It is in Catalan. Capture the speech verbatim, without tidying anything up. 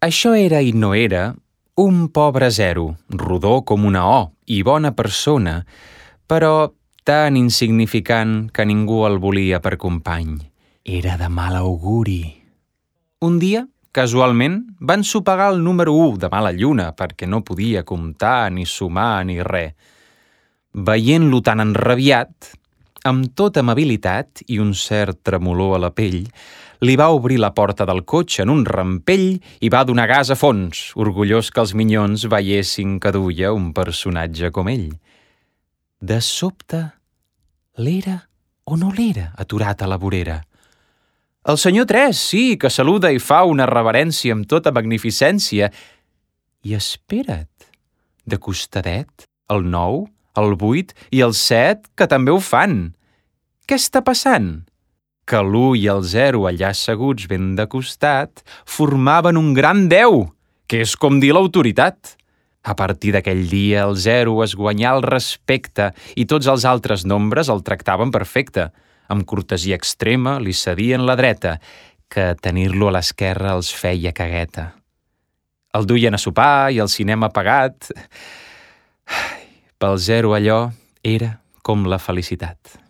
Això era i no era un pobre zero, rodó com una O i bona persona, però tan insignificant que ningú el volia per company. Era de mal auguri. Un dia, casualment, van sopegar el número u de mala lluna perquè no podia comptar ni sumar ni res. Veient-lo tan enrabiat, amb tota amabilitat i un cert tremolor a la pell, li va obrir la porta del cotxe en un rampell i va donar gas a fons, orgullós que els minyons veiessin que duia un personatge com ell. De sobte, l'era o no l'era aturat a la vorera? El senyor tres, sí, que saluda i fa una reverència amb tota magnificència. I espera't, de costadet, el nou, el vuit i el set, que també ho fan. Què està passant? Que l'u i el zero allà asseguts ben de costat formaven un gran deu, que és com dir l'autoritat. A partir d'aquell dia el zero es guanyà el respecte i tots els altres nombres el tractaven perfecte. Amb cortesia extrema li cedien la dreta, que tenir-lo a l'esquerra els feia cagueta. El duien a sopar i el cinema pagat. Pel zero allò era com la felicitat.